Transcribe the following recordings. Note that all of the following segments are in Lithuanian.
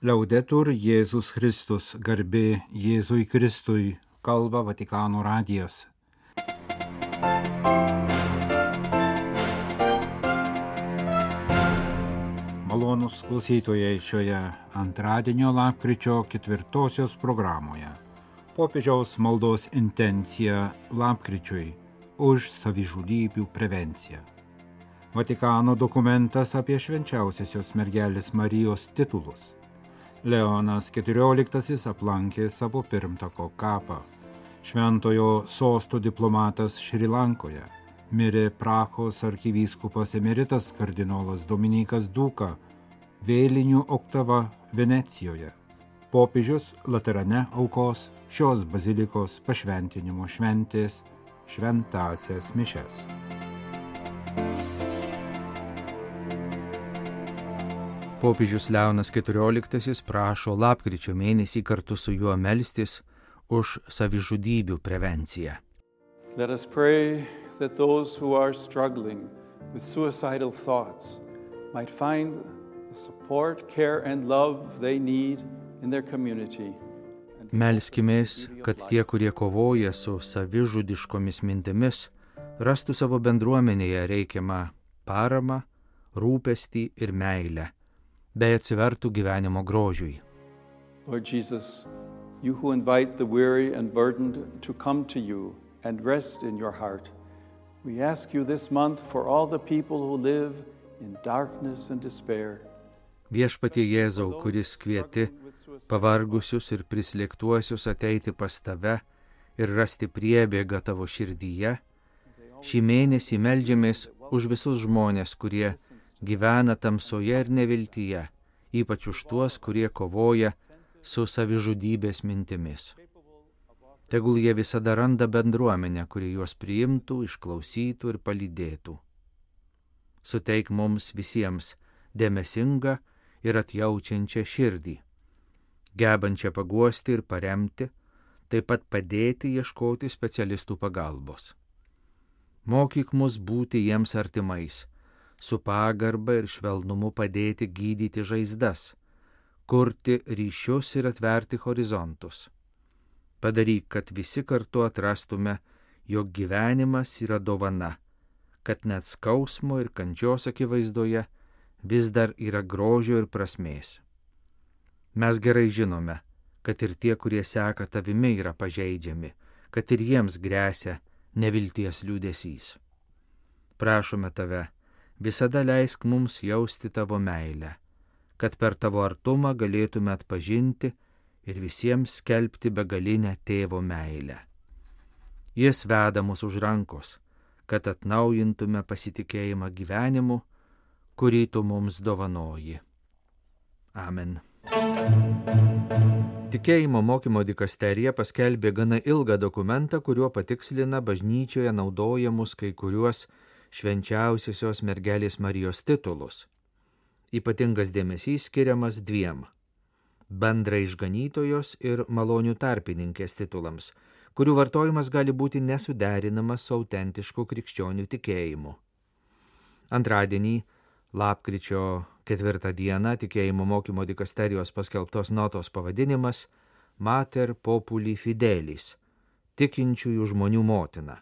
Liaudetur Jėzus Kristus, garbė Jėzui Kristui, kalba Vatikano radijas. Malonūs klausytojai šioje antradienio lapkričio 4 programoje. Popiežiaus maldos intencija lapkričiui už savižudybių prevenciją. Vatikano dokumentas apie švenčiausiosios mergelės Marijos titulus. Leonas XIV aplankė savo pirmtako kapą. Šventojo sosto diplomatas Šri Lankoje. Mirė Prahos arkivyskupas emeritas kardinolas Dominikas Duka. Vėlinių oktava Venecijoje. Popiežius Laterane aukos šios bazilikos pašventinimo šventės šventąsias mišias. Popiežius Leonas XIV prašo lapkričio mėnesį kartu su juo melstis už savižudybių prevenciją. Let us pray that those who are struggling with suicidal thoughts might find the support, care and love they need in their community. Melskimės, kad tie, kurie kovoja su savižudiškomis mintimis, rastų savo bendruomenėje reikiamą paramą, rūpestį ir meilę, bei atsivertų gyvenimo grožiui. Lord Jesus, you who invite the weary and burdened to come to you and rest in your heart, we ask you this month for all the people who live in darkness and despair. Viešpatie Jėzau, kuris kvieti pavargusius ir prislėgtuosius ateiti pas tave ir rasti priebėgą tavo širdyje, šį mėnesį meldžiamės už visus žmonės, kurie gyvena tamsoje ir neviltyje, ypač už tuos, kurie kovoja su savižudybės mintimis. Tegul jie visada randa bendruomenę, kuri juos priimtų, išklausytų ir palydėtų. Suteik mums visiems dėmesingą ir atjaučiančią širdį, gebančią paguosti ir paremti, taip pat padėti ieškoti specialistų pagalbos. Mokyk mus būti jiems artimais, su pagarba ir švelnumu padėti gydyti žaizdas, kurti ryšius ir atverti horizontus. Padaryk, kad visi kartu atrastume, jog gyvenimas yra dovana, kad net skausmo ir kančios akivaizdoje vis dar yra grožio ir prasmės. Mes gerai žinome, kad ir tie, kurie seka tavimi, yra pažeidžiami, kad ir jiems gresia nevilties liūdesys. Prašome tave, visada leisk mums jausti tavo meilę, kad per tavo artumą galėtume atpažinti ir visiems skelbti begalinę tėvo meilę. Jis veda mus už rankos, kad atnaujintume pasitikėjimą gyvenimu, kurį tu mums dovanoji. Amen. Tikėjimo mokymo dikasterija paskelbė gana ilgą dokumentą, kuriuo patikslina bažnyčioje naudojamus kai kuriuos švenčiausiosios mergelės Marijos titulus. Ypatingas dėmesys skiriamas dviem – bendrai išganytojos ir malonių tarpininkės titulams, kurių vartojimas gali būti nesuderinamas su autentišku krikščionių tikėjimu. Antradienį, lapkričio 4 dieną, tikėjimo mokymo dikasterijos paskelbtos notos pavadinimas Mater Populi Fidelis – tikinčiųjų žmonių motina.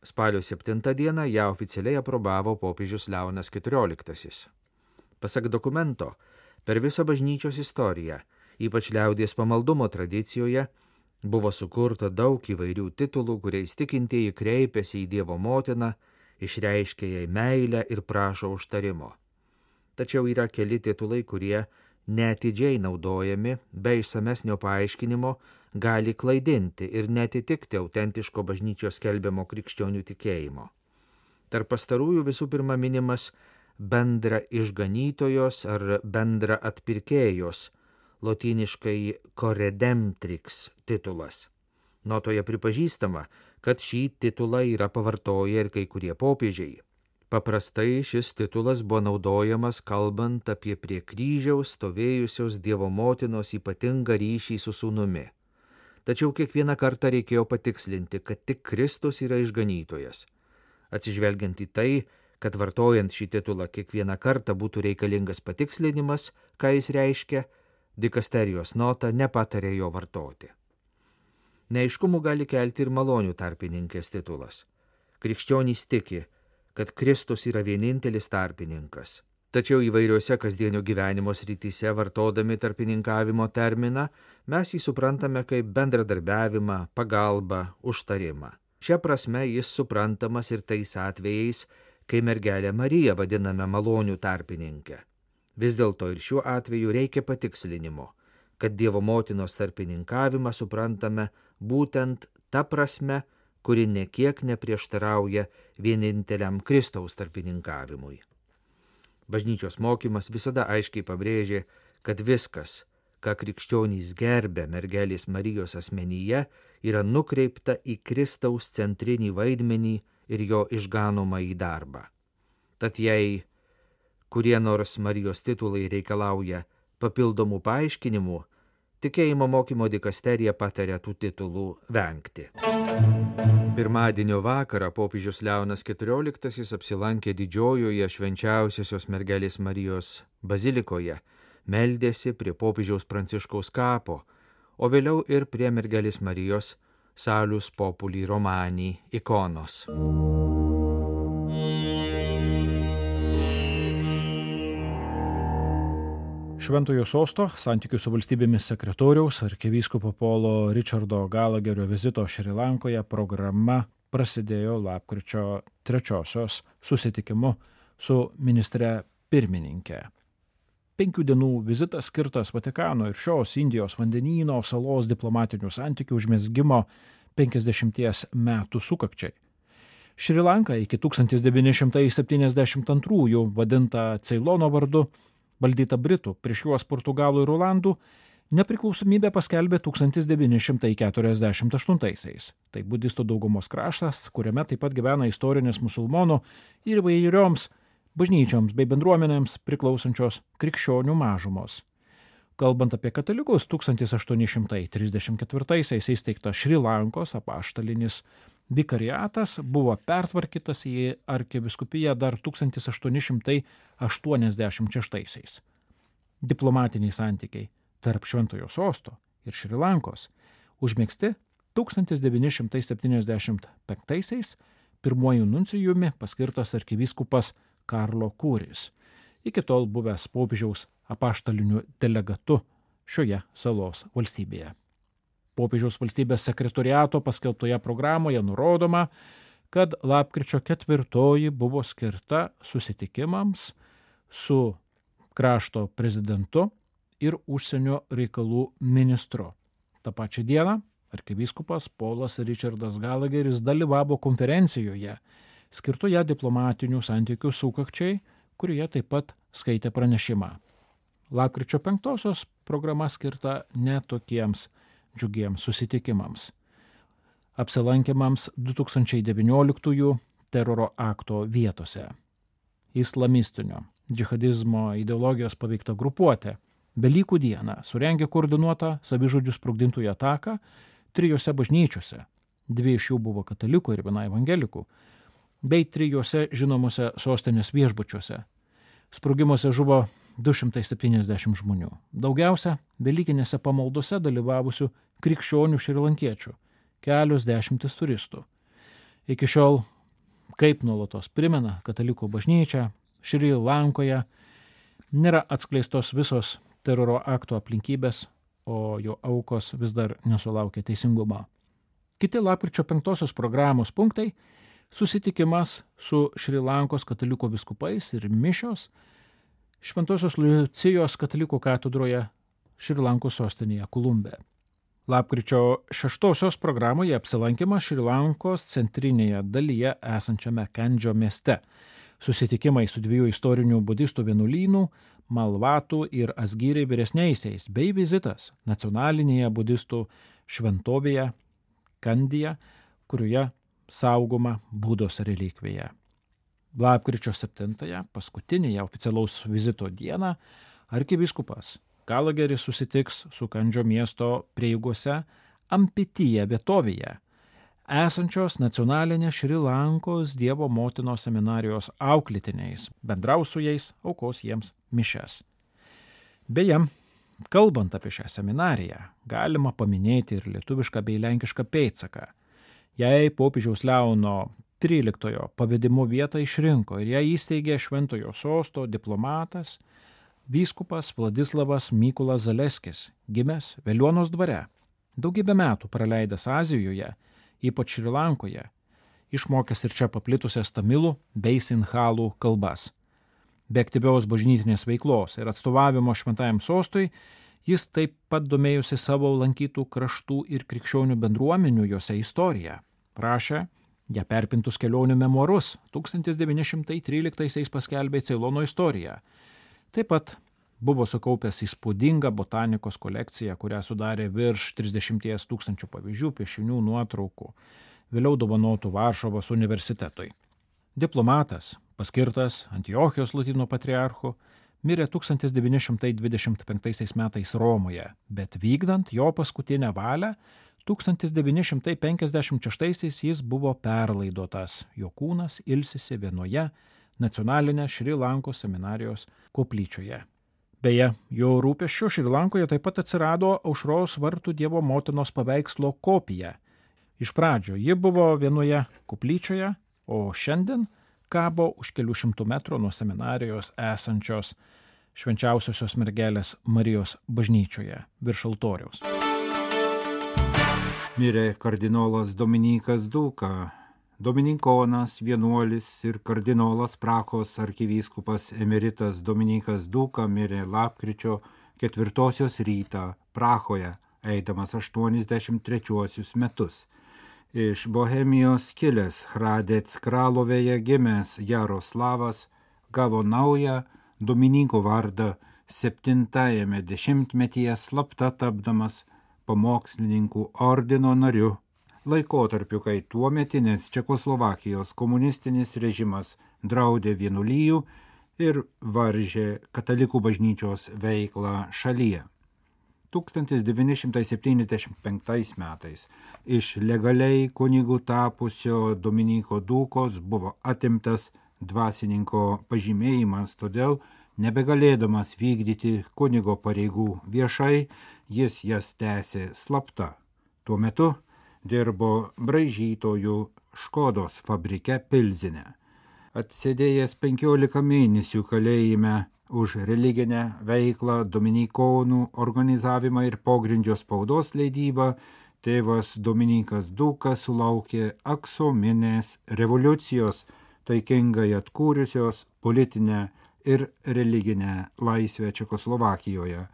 Spalio 7 dieną ją oficialiai aprobavo popiežius Leonas XIV. Pasak dokumento, per visą bažnyčios istoriją, ypač liaudies pamaldumo tradicijoje, buvo sukurta daug įvairių titulų, kuriais tikintieji kreipiasi į Dievo motiną, išreiškia jai meilę ir prašo užtarimo. Tačiau yra keli titulai, kurie neatidžiai naudojami, be išsamesnio paaiškinimo, gali klaidinti ir netitikti autentiško bažnyčios skelbiamo krikščionių tikėjimo. Tarp pastarųjų visų pirma minimas bendra išganytojos ar bendra atpirkėjos, lotyniškai Coredemptrix titulas. Notoje pripažįstama, kad šį titulą yra pavartoję ir kai kurie popiežiai. Paprastai šis titulas buvo naudojamas kalbant apie prie kryžiaus stovėjusios Dievo motinos ypatingą ryšį su sūnumi. Tačiau kiekvieną kartą reikėjo patikslinti, kad tik Kristus yra išganytojas. Atsižvelgiant į tai, kad vartojant šį titulą kiekvieną kartą būtų reikalingas patikslinimas, ką jis reiškia, dikasterijos nota nepatarė jo vartoti. Neaiškumų gali kelti ir malonių tarpininkės titulas. Krikščionys tiki, kad Kristus yra vienintelis tarpininkas. Tačiau įvairiuose kasdienio gyvenimo srityse vartodami tarpininkavimo terminą, mes jį suprantame kaip bendradarbiavimą, pagalbą, užtarimą. Šia prasme jis suprantamas ir tais atvejais, kai mergelę Mariją vadiname malonių tarpininkę. Vis dėlto ir šiuo atveju reikia patikslinimo, kad Dievo motinos tarpininkavimą suprantame būtent ta prasme, kuri nekiek neprieštarauja vieninteliam Kristaus tarpininkavimui. Bažnyčios mokymas visada aiškiai pabrėžė, kad viskas, ką krikščionys gerbė mergelės Marijos asmenyje, yra nukreipta į Kristaus centrinį vaidmenį ir jo išganomą į darbą. Tad jei kurie nors Marijos titulai reikalauja papildomų paaiškinimų, tikėjimo mokymo dikasterija pataria tų titulų vengti. Pirmadienio vakarą popiežius Leonas XIV apsilankė didžiojoje švenčiausiosios mergelės Marijos bazilikoje, meldėsi prie popiežiaus Pranciškaus kapo, o vėliau ir prie mergelės Marijos Salus Populi Romani ikonos. Šventojo sosto santykių su valstybėmis sekretoriaus arkivyskupo Polo Richardo Gallagherio vizito Šri Lankoje programa prasidėjo lapkričio 3 susitikimu su ministre pirmininke. 5 dienų vizitas skirtas Vatikano ir šios Indijos vandenyno salos diplomatinių santykių užmezgimo 50 metų sukakčiai. Šri Lanka iki 1972 vadinta Ceilono vardu, valdyta Britų, prieš juos Portugalų ir Olandų, nepriklausomybę paskelbė 1948. Tai budistų daugumos kraštas, kuriame taip pat gyvena istorinis musulmonų ir įvairioms bažnyčioms bei bendruomenėms priklausančios krikščionių mažumos. Kalbant apie katalikus, 1834 įsteigtas Šri Lankos apaštalinis vikariatas buvo pertvarkytas į arkivyskupiją dar 1886. Diplomatiniai santykiai tarp Šventojo sosto ir Šri Lankos užmegzti 1975 pirmuoju nuncijumi paskirtas arkivyskupas Karlo Kuris, iki tol buvęs popiežiaus apaštaliniu delegatu šioje salos valstybėje. Popiežiaus valstybės sekretoriato paskelbtoje programoje nurodoma, kad lapkričio 4 buvo skirta susitikimams su krašto prezidentu ir užsienio reikalų ministru. Ta pačia diena arkivyskupas Polas Richardas Gallagheris dalyvavo konferencijoje, skirtoje diplomatinių santykių sukakčiai, kurioje taip pat skaitė pranešimą. Lapkričio 5 programa skirta ne tokiems džiugiems susitikimams. Apsilankymams 2019 teroro akto vietose. Islamistinio džihadizmo ideologijos paveikta grupuotė Velykų dieną surengė koordinuotą savižudžių sprogdintojų ataką 3 bažnyčiose, 2 iš jų buvo katalikų ir 1 evangelikų, bei 3 žinomose sostinės viešbučiuose. Sprogimuose žuvo 270 žmonių. Daugiausia velykinėse pamaldose dalyvavusių krikščionių šrilankiečių, kelios dešimtis turistų. Iki šiol, kaip nuolatos primena katalikų bažnyčia, Šri Lankoje nėra atskleistos visos teroro akto aplinkybės, o jo aukos vis dar nesulaukia teisingumo. Kiti lapkričio 5 programos punktai – susitikimas su Šri Lankos katalikų vyskupais ir mišios Šventosios Liucijos katalikų katedroje Šri Lankos sostinėje Kolumbe. Lapkričio 6 programoje apsilankymas Šri Lankos centrinėje dalyje esančiame Kendžio mieste. Susitikimai su 2 istorinių budistų vienuolynų, Malvatų ir Asgyriai vyresniaisiais, bei vizitas nacionalinėje budistų šventovėje Kandyje, kurioje saugoma Budos relikvija. Lapkričio 7, paskutinėje oficialaus vizito dieną, arkivyskupas Gallagheris susitiks su Kandžio miesto prieigose Ampityje vietovėje, esančios nacionalinės Šri Lankos Dievo motinos seminarijos auklėtiniais, bendraus su jais, aukos jiems mišias. Beje, Kalbant apie šią seminariją, galima paminėti ir lietuvišką bei lenkišką pėdsaką. Jei popiežiaus Leono XIII pavedimu vietą išrinko ir ją įsteigė Šventojo Sosto diplomatas, vyskupas Vladislavas Mykolas Zaleskis, gimęs Veliuonos dvare, daugybę metų praleidęs Azijoje, ypač Šri Lankoje, išmokęs ir čia paplitusias tamilų bei sinhalų kalbas. Be aktyvios bažnytinės veiklos ir atstovavimo Šventajam Sostui, jis taip pat domėjusi savo lankytų kraštų ir krikščionių bendruomenių juose istoriją. Rašė ją perpintus kelionių memuarus, 1913 paskelbė Ceilono istoriją. Taip pat buvo sukaupęs įspūdingą botanikos kolekciją, kurią sudarė virš 30 000 pavyzdžių, piešinių, nuotraukų, vėliau dovanotų Varšuvos universitetui. Diplomatas, paskirtas Antiochijos Lotynų patriarchu, mirė 1925 metais Romoje, bet vykdant jo paskutinę valią, 1956 jis buvo perlaidotas, jo kūnas ilsisi vienoje nacionalinės Šri Lankos seminarijos koplyčioje. Beje, jo rūpesčiu Šri Lankoje taip pat atsirado Aušros vartų Dievo motinos paveikslo kopija. Iš pradžio ji buvo vienoje koplyčioje, o šiandien kabo už kelių šimtų metrų nuo seminarijos esančios Švenčiausiosios mergelės Marijos bažnyčioje virš altoriaus. Mirė kardinolas Dominykas Dūka, dominikonas, vienuolis ir kardinolas Prahos arkivyskupas emeritas Dominykas Dūka mirė lapkričio 4 rytą Prahoje, eidamas 83 metus. Iš Bohemijos kilęs Hradec Kralovėje gimęs Jaroslavas gavo naują Dominyko vardą 7-ame dešimtmetyje slapta tapdamas pamokslininkų ordino nariu, laikotarpiu, kai tuometinės Čekoslovakijos komunistinis režimas draudė vienuolijų ir varžė katalikų bažnyčios veiklą šalyje. 1975 metais iš legaliai kunigų tapusio Dominyko Dūkos buvo atimtas dvasininko pažymėjimas, todėl nebegalėdamas vykdyti kunigo pareigų viešai, jis jas tęsė slapta. Tuo metu dirbo braižytojų Škodos fabrike Pilzine. Atsėdėjęs 15 mėnesių kalėjime už religinę veiklą, dominikonų organizavimą ir pogrindžio spaudos leidybą, tėvas Dominykas Dūka sulaukė aksominės revoliucijos, taikingai atkūrusios politinę ir religinę laisvę Čekoslovakijoje.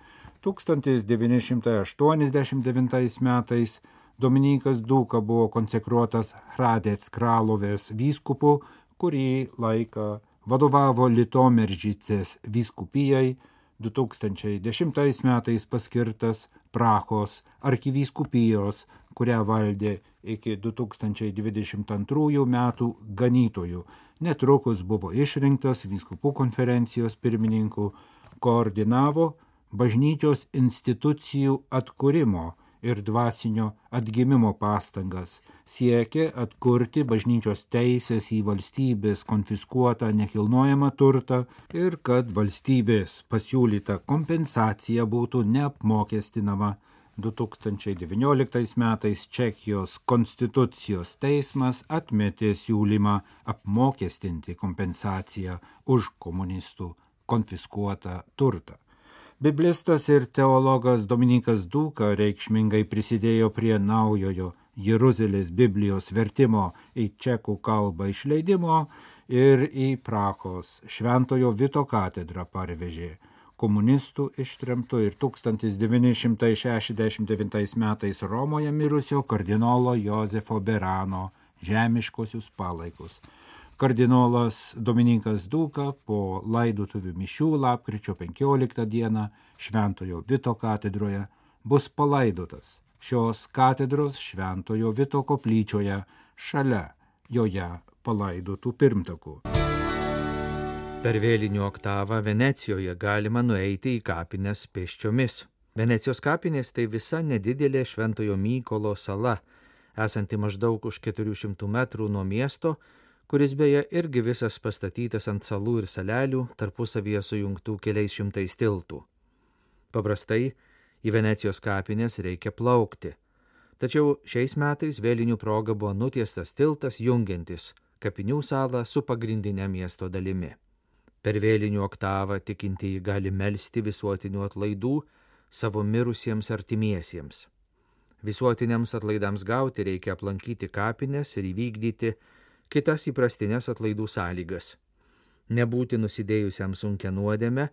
1989 metais Dominykas Dūka buvo konsekruotas Hradec Kralovės vyskupu, kurį laiką vadovavo Litomeržicės vyskupijai, 2010 metais paskirtas Prahos arkivyskupijos, kurią valdė iki 2022 metų ganytojų. Netrukus buvo išrinktas vyskupų konferencijos pirmininku, koordinavo bažnyčios institucijų atkūrimo ir dvasinio atgimimo pastangas, siekė atkurti bažnyčios teisės į valstybės konfiskuotą nekilnojamą turtą ir kad valstybės pasiūlyta kompensacija būtų neapmokestinama. 2019 metais Čekijos konstitucijos teismas atmetė siūlymą apmokestinti kompensaciją už komunistų konfiskuotą turtą. Biblistas ir teologas Dominykas Dūka reikšmingai prisidėjo prie naujojo Jeruzalės Biblijos vertimo į čekų kalbą išleidimo ir į Prahos Šventojo Vito katedrą parvežė komunistų ištremto ir 1969 metais Romoje mirusio kardinolo Jozefo Berano žemiškosius palaikus. Kardinolas Dominykas Dūka po laidotuvių mišių lapkričio 15 dieną Šventojo Vito katedroje bus palaidotas šios katedros Šventojo Vito koplyčioje šalia joje palaidotų pirmtakų. Per vėlinių oktavą Venecijoje galima nueiti į kapines pėsčiomis. Venecijos kapinės tai visa nedidelė Šventojo Mykolo sala, esanti maždaug už 400 metrų nuo miesto, kuris beje irgi visas pastatytas ant salų ir salelių, tarpusavyje sujungtų keliais šimtais tiltų. Paprastai į Venecijos kapines reikia plaukti. Tačiau šiais metais vėlinių proga buvo nutiestas tiltas jungiantis kapinių salą su pagrindinė miesto dalimi. Per vėlinių oktavą tikintieji gali melsti visuotinių atlaidų savo mirusiems artimiesiems. Visuotiniams atlaidams gauti reikia aplankyti kapines ir įvykdyti kitas įprastinės atlaidų sąlygas. Nebūti nusidėjusiam sunkia nuodėme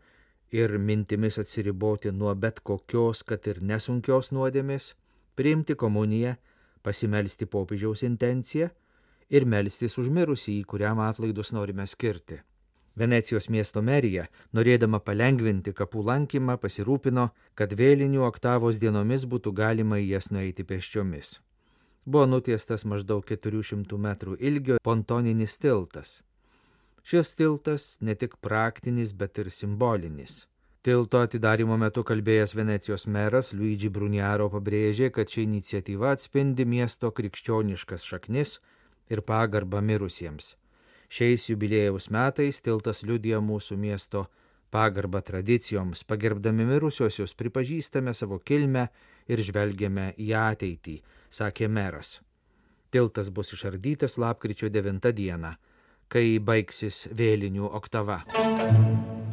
ir mintimis atsiriboti nuo bet kokios, kad ir nesunkios nuodėmės, priimti komuniją, pasimelsti popiežiaus intenciją ir melstis už mirusį, kuriam atlaidus norime skirti. Venecijos miesto merija, norėdama palengvinti kapų lankymą, pasirūpino, kad vėlinių oktavos dienomis būtų galima į jas nueiti pėsčiomis. Buvo nutiestas maždaug 400 metrų ilgio pontoninis tiltas. Šis tiltas ne tik praktinis, bet ir simbolinis. Tilto atidarymo metu kalbėjęs Venecijos meras Luigi Bruniaro pabrėžė, kad ši iniciatyva atspindi miesto krikščioniškas šaknis ir pagarbą mirusiems. Šiais jubiliejaus metais tiltas liudija mūsų miesto pagarbą tradicijoms, pagerbdami mirusiosius pripažįstame savo kilmę ir žvelgiame į ateitį, sakė meras. Tiltas bus išardytas lapkričio 9 dieną, kai baigsis vėlinių oktava.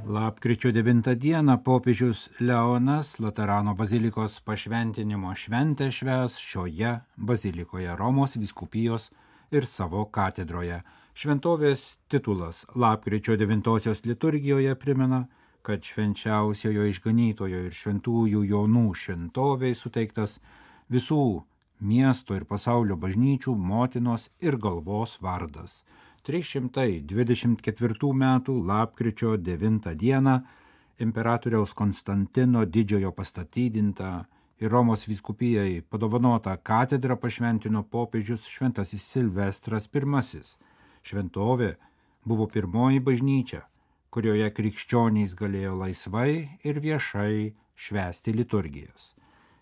Lapkričio 9 dieną popiežius Leonas Laterano bazilikos pašventinimo šventę švęs šioje bazilikoje Romos vyskupijos ir savo katedroje. Šventovės titulas lapkričio 9 liturgijoje primena, kad švenčiausiojo išganytojo ir šventųjų Jonų šventovei suteiktas visų miesto ir pasaulio bažnyčių motinos ir galvos vardas. 324 metų lapkričio 9 dieną imperatoriaus Konstantino didžiojo pastatydinta ir Romos vyskupijai padovanota katedra pašventino popiežius šventasis Silvestras I. Šventovė buvo pirmoji bažnyčia, kurioje krikščionys galėjo laisvai ir viešai švęsti liturgijas.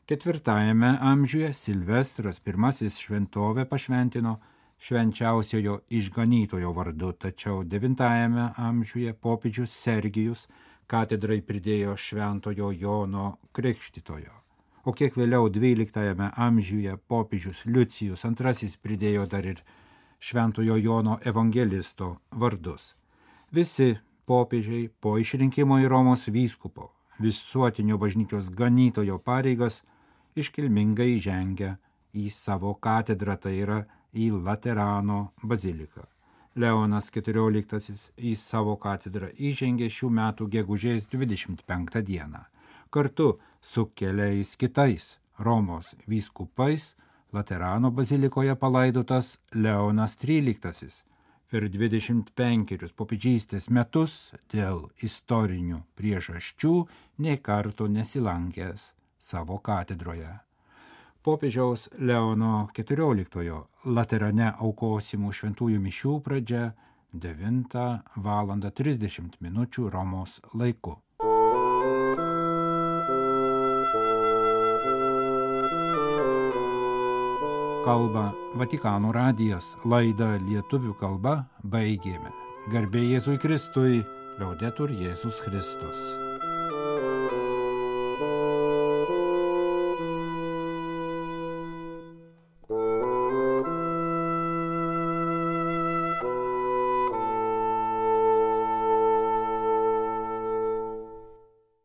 4 amžiuje Silvestras I šventovę pašventino švenčiausiojo išganytojo vardu, tačiau 9 amžiuje popiežius Sergijus katedrai pridėjo šventojo Jono Krikštytojo, o kiek vėliau 12 amžiuje popiežius Liucijus II pridėjo dar ir šventojo Jono evangelisto vardus. Visi popiežiai po išrinkimo į Romos vyskupo visuotinio bažnyčios ganytojo pareigas iškilmingai žengia į savo katedrą, tai yra į Laterano baziliką. Leonas XIV į savo katedrą įžengė šių metų gegužės 25 dieną. Kartu su keliais kitais Romos vyskupais Laterano bazilikoje palaidotas Leonas XIII. Per 25 popiežystės metus dėl istorinių priežasčių nė karto nesilankęs savo katedroje. Popiežiaus Leono XIV Laterane aukosimų šventųjų mišių pradžia 9:30 Romos laiku. Kalba Vatikano radijas, laidą lietuvių kalba baigėme. Garbė Jėzui Kristui, Liaudetur Jėzus Kristus.